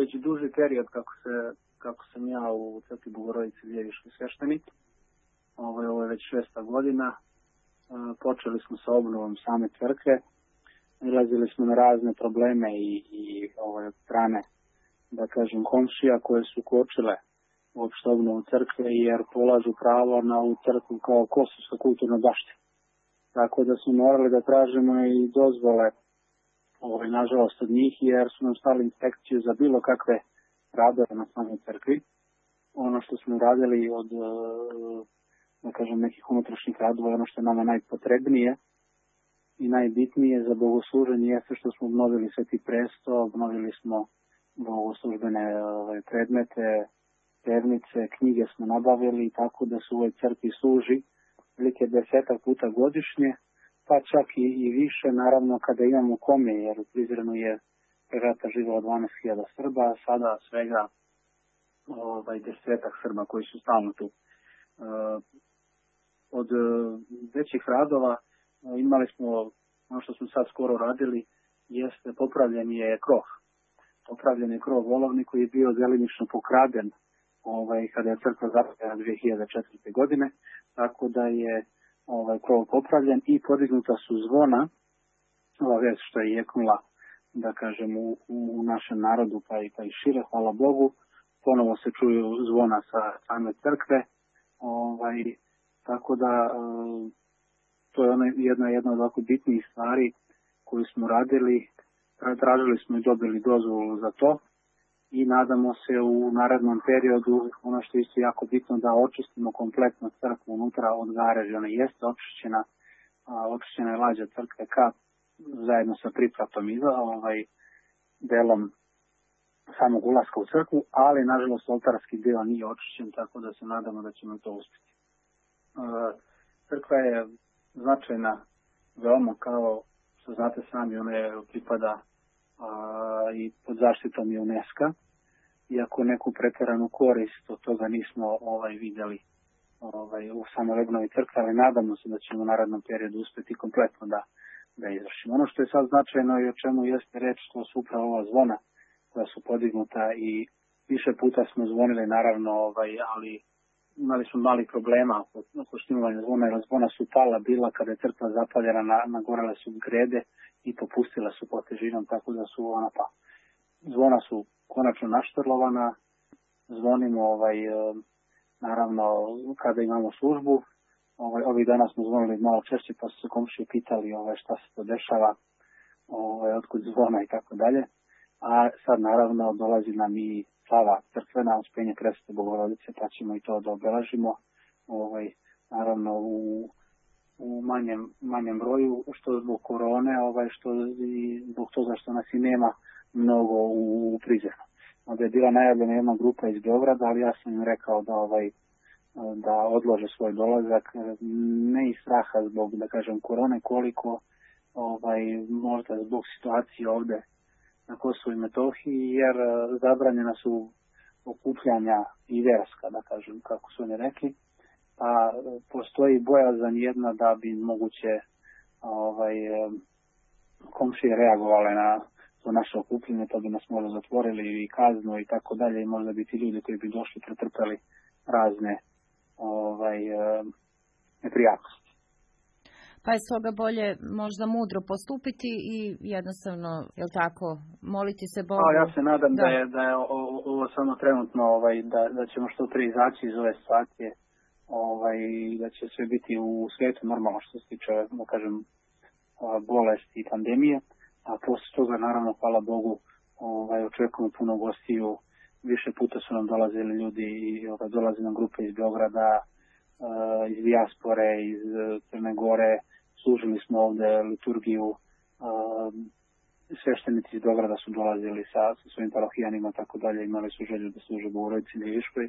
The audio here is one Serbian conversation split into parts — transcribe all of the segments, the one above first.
već duži period kako sam ja u crkvi Bogorodice Ljeviške sveštenik. Ovo je već 6. godina. Počeli smo sa obnovom same crkve. Nalazili smo na razne probleme i od strane, da kažem, komšija koje su kočile uopšte obnovu crkve, jer polažu pravo na ovu crkvu kao kosovska kulturna baština. Tako da smo morali da tražimo i dozvole, nažalost, od njih, jer su nam stali inspekciju za bilo kakve radove na samoj crkvi. Ono što smo radili od, da kažem, nekih unutrašnjih radova, ono što je nama najpotrebnije i najbitnije za bogosluženje jeste što smo obnovili Sveti presto, obnovili smo bogoslužbene predmete, pevnice, knjige smo nabavili, tako da su u ovoj crkvi služi velike 10 puta godišnje, pa čak i više, naravno, kada imamo kome, jer u Prizrenu je pre rata živelo 12.000 Srba, a sada svega 10 Srba koji su stalno tu. Od većih radova imali smo, ono što smo sad skoro radili, jeste popravljen je krov. Popravljen je krov volovni koji je bio delimično pokraden kada je crkva zapaljena 2004. godine, tako da je krov popravljen i podignuta su zvona, ova vest što je jeknula, da kažem, u našem narodu pa i šire, hvala Bogu. Ponovo se čuju zvona sa same crkve, tako da to je jedna od ovako bitnijih stvari koju smo radili. Tražili smo i dobili dozvolu za to i nadamo se u narednom periodu, ono što je isto jako bitno, da očistimo kompletno crkvu unutra od gareža. Ona jeste očišćena je lađa crkve zajedno sa pripratom i delom samog ulaska u crkvu, ali nažalost oltarski deo nije očišćen, tako da se nadamo da ćemo to uspjeti. Crkva je značajna veoma, kao što znate sami, ona je pripada i pod zaštitom i UNESCO-a. Iako neku pretjeranu korist od toga nismo vidjeli u samoj obnovi crkve, ali nadamo se da ćemo u narednom periodu uspjeti kompletno da izvršimo. Ono što je sad značajno i o čemu jeste reč, to su upravo ova zvona koja su podignuta i više puta smo zvonili, naravno, ali imali smo mali problema oko štimovanja zvona, jer zvona su pala bila kada je crkva zapaljena, nagorele su grede i popustile su pod težinom, tako da su zvona su konačno naštrlovana, zvonimo naravno kada imamo službu. Ovih dana smo zvonili malo češće, pa su se komšije pitali šta se to dešava, otkud zvona i tako dalje. A sad naravno dolazi nam i slava crkvena, Uspenje Presvete Bogorodice, pa ćemo i to da obeležimo, naravno u manjem broju, što zbog korone, što i zbog toga što nas i nema mnogo u Prizrenu. Onda je bila najavljena jedna grupa iz Beograda, ali ja sam im rekao da odlože svoj dolazak, ne iz straha zbog, da kažem, korone, koliko možda zbog situacije ovde na Kosovu i Metohiji, jer zabranjena su okupljanja i verska, da kažem, kako su oni rekli, a postoji bojazan jedna da bi moguće komšije reagovale na to naše okupljanje, to bi nas možda zatvorili i kaznu i tako dalje, i možda bi ti ljudi koji bi došli pretrpeli razne neprijatnosti. Pa je stoga bolje možda mudro postupiti i jednostavno, jel tako, moliti se Bogu. Ja se nadam da je ovo samo trenutno, da ćemo što prije izaći iz ove situacije, i da će sve biti u svijetu normalno što se tiče, da kažem, bolesti i pandemije. A posle toga, naravno, hvala Bogu, očekujemo puno gostiju. Više puta su nam dolazili ljudi i dolaze nam grupe iz Beograda, iz dijaspore, iz Crne Gore. Služili smo ovde liturgiju, sveštenici iz Beograda su dolazili sa svojim parohijanima, tako dalje, imali su želju da služe Bogorodici Ljeviškoj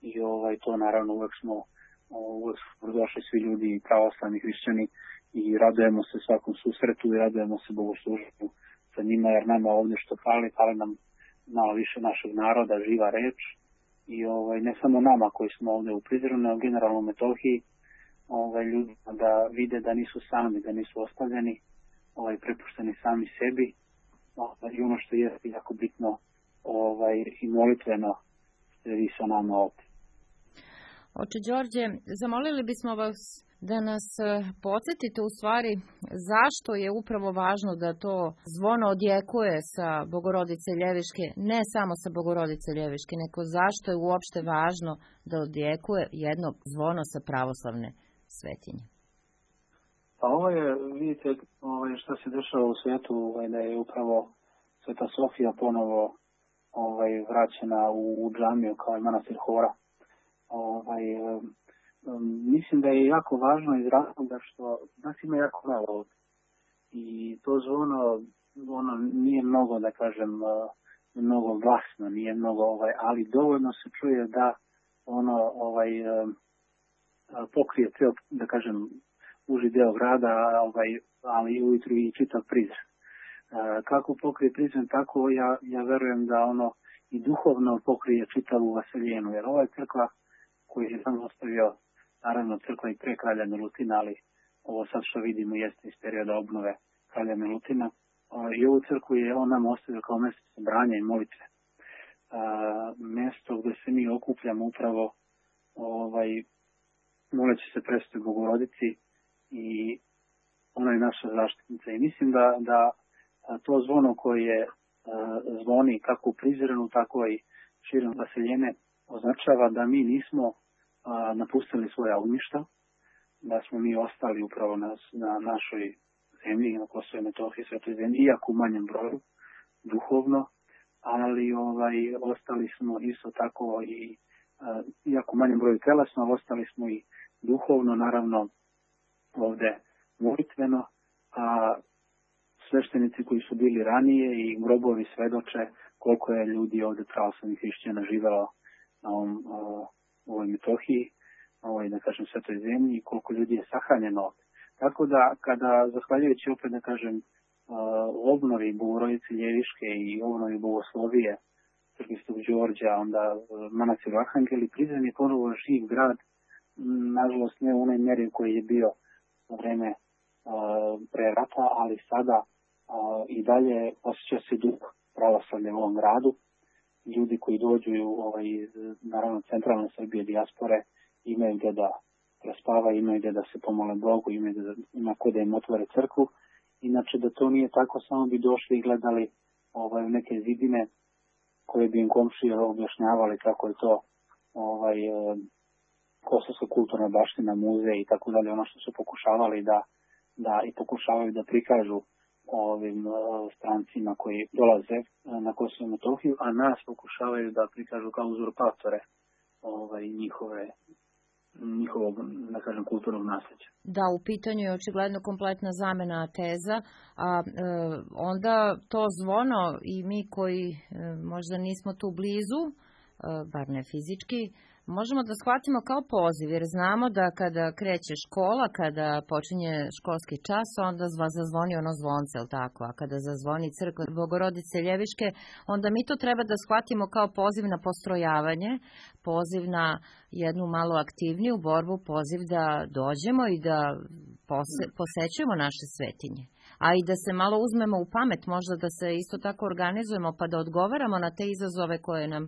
i to naravno uvek su došli svi ljudi, pravoslavni hrišćani, i radujemo se svakom susretu i radujemo se bogosluženju sa njima, jer nama ovde što fali nam malo više našeg naroda, živa reč, i ne samo nama koji smo ovde u Prizrenu, nego generalno u Metohiji, ljudima da vide da nisu sami, da nisu ostavljeni, prepušteni sami sebi, i ono što je jako bitno, i molitveno ste vi sa nama ovdje. Oče Đorđe, zamolili bismo vas da nas podsjetite u stvari zašto je upravo važno da to zvono odjekuje sa Bogorodice Ljeviške, ne samo sa Bogorodice Ljeviške, nego zašto je uopšte važno da odjekuje jedno zvono sa pravoslavne svetinje. Pa ovo je, vidite, što se dešava u svijetu, da je upravo Sveta Sofija ponovo vraćena u džamiju kao i manastir Hora. Mislim da je jako važno iz razloga što nas ima jako malo ovdje. I to zvono, ono nije mnogo, da kažem, mnogo glasno, nije mnogo, ali dovoljno se čuje da ono pokrije cijel, da kažem, uži deo grada, ali ujutru i čitav Prizren. Kako pokrije Prizren, tako ja verujem da ono i duhovno pokrije čitavu Vaseljenu, jer ova crkva koju je sam ostavio, naravno crkva i pre kralja Milutina, ali ovo sad što vidimo jeste iz perioda obnove kralja Milutina, i ovu crkvu je on nam ostavio kao mjesto sabranja i molitve. Mjesto gdje se mi okupljamo upravo moleći se Presvetoj Bogorodici i ona je naša zaštitnica. I mislim da to zvono koje zvoni kako u Prizrenu, tako i širom Vaseljene označava da mi nismo napustili svoja ognjišta, da smo mi ostali upravo na našoj zemlji, na Kosovo i Metohiji, Svetoj zemlji, iako u manjem broju, duhovno, ali ostali smo isto tako i iako u manjem broju telesno, ali ostali smo i duhovno, naravno ovdje molitveno, a sveštenici koji su bili ranije i grobovi svedoče koliko je ljudi ovdje pravoslavnih hrišćana živelo na ovoj Metohiji, da kažem, Svetoj zemlji i koliko ljudi je sahranjeno ovdje. Tako da, kada, zahvaljujući opet, da kažem, obnovi Bogorodice Ljeviške i obnovi Bogoslovije Crkve Svetog Đorđa, onda manastiru Arhangeli, Prizren je ponovo živ grad, nažalost ne u onoj mjeri koji je bio na vreme pre rata, ali sada i dalje osjeća se duh pravoslavlja u ovom gradu. Ljudi koji dođu iz, naravno, centralne Srbije, dijaspore, imaju gdje da prespavaju, imaju gdje da se pomole Bogu, imaju gdje da ima ko da im otvore crkvu. Inače, da to nije tako, samo bi došli i gledali u neke zidine koje bi im komšije objašnjavali kako je to kosovska kulturna baština, muzej i tako dalje, ono što su pokušavali da i pokušavaju da prikažu ovim strancima koji dolaze na Kosovo i Metohiju, a nas pokušavaju da prikažu kao uzurpatore njihovog, da kažem, kulturnog nasljeđa. Da, u pitanju je očigledno kompletna zamena teza, a onda to zvono i mi koji možda nismo tu blizu, bar ne fizički, možemo da shvatimo kao poziv, jer znamo da kada kreće škola, kada počinje školski čas, onda zazvoni ono zvonce, ili tako? A kada zazvoni crkva Bogorodice Ljeviške, onda mi to treba da shvatimo kao poziv na postrojavanje, poziv na jednu malo aktivniju borbu, poziv da dođemo i da posećujemo naše svetinje. A i da se malo uzmemo u pamet, možda da se isto tako organizujemo, pa da odgovaramo na te izazove koje nam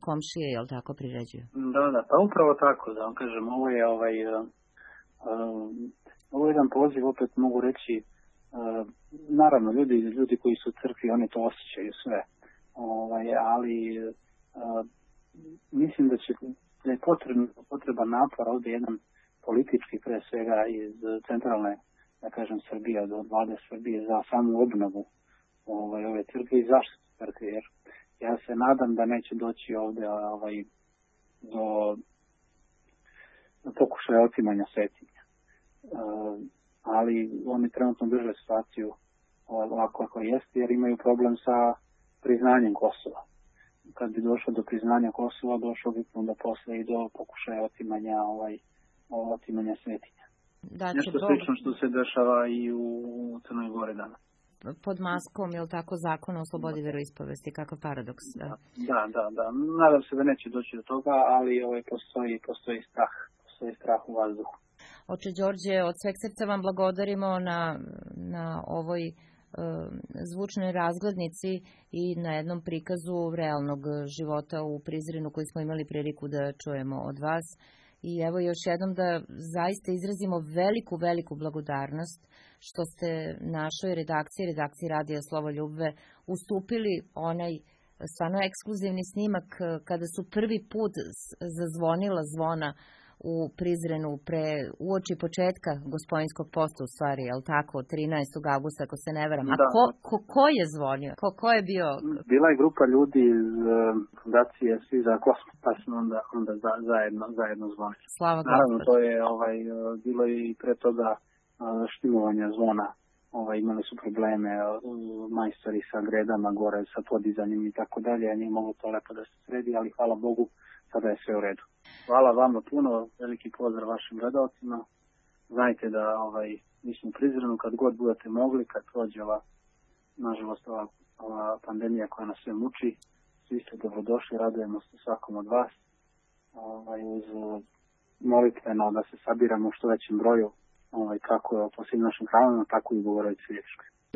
komšije, jel tako, priređuju? Da, pa upravo tako, da vam kažem, ovo je jedan poziv, opet mogu reći, naravno, ljudi koji su u crkvi, oni to osjećaju sve, ali mislim da je potreban napor ovdje jedan politički, pre svega iz centralne, da kažem, Srbije, od vlade Srbije za samu obnovu ove crkve i zaštitu crkve, jer ja se nadam da neće doći ovdje do pokušaja otimanja svetinja. Ali oni trenutno drže situaciju ovako kako jeste, jer imaju problem sa priznanjem Kosova. Kad bi došlo do priznanja Kosova, došlo bi onda posle i do pokušaja otimanja svetinja. Nešto slično što se dešava i u Crnoj Gori danas. Pod maskom, je li tako, zakona o slobodi veroispovesti, kakav paradoks? Da. Nadam se da neće doći do toga, ali postoji strah u vazduhu. Oče Đorđe, od sveg srca vam blagodarimo na ovoj zvučnoj razglednici i na jednom prikazu realnog života u Prizrenu koji smo imali priliku da čujemo od vas. I evo još jednom da zaista izrazimo veliku blagodarnost što ste našoj redakciji Radija Slovoljubve ustupili onaj stvarno ekskluzivni snimak kada su prvi put zazvonila zvona u Prizrenu uoči početka Gospodinskog posta, u stvari, je li tako, 13. augusta, ako se ne varam. A ko je zvonio? Ko je bio? Bila je grupa ljudi iz fundacije Svi za kosmos, pa smo onda zajedno zvonili. Slava Gospod. Naravno, to je bilo i pre toga štimovanja zvona. Imali su probleme majstori sa gredama gore, sa podizanjem i tako dalje, a nije moglo to lepo da se sredi, ali hvala Bogu, sada je sve u redu. Hvala vama puno, veliki pozdrav vašim gledalcima. Znajte da mi smo u Prizrenu kad god budete mogli, kad prođe nažalost ova pandemija koja nas sve muči, svi ste dobrodošli, radujemo se svakom od vas. Uz molitveno da se sabiramo u što većem broju, kako po svim našim hramima, tako i u Bogorodici Ljepškoj.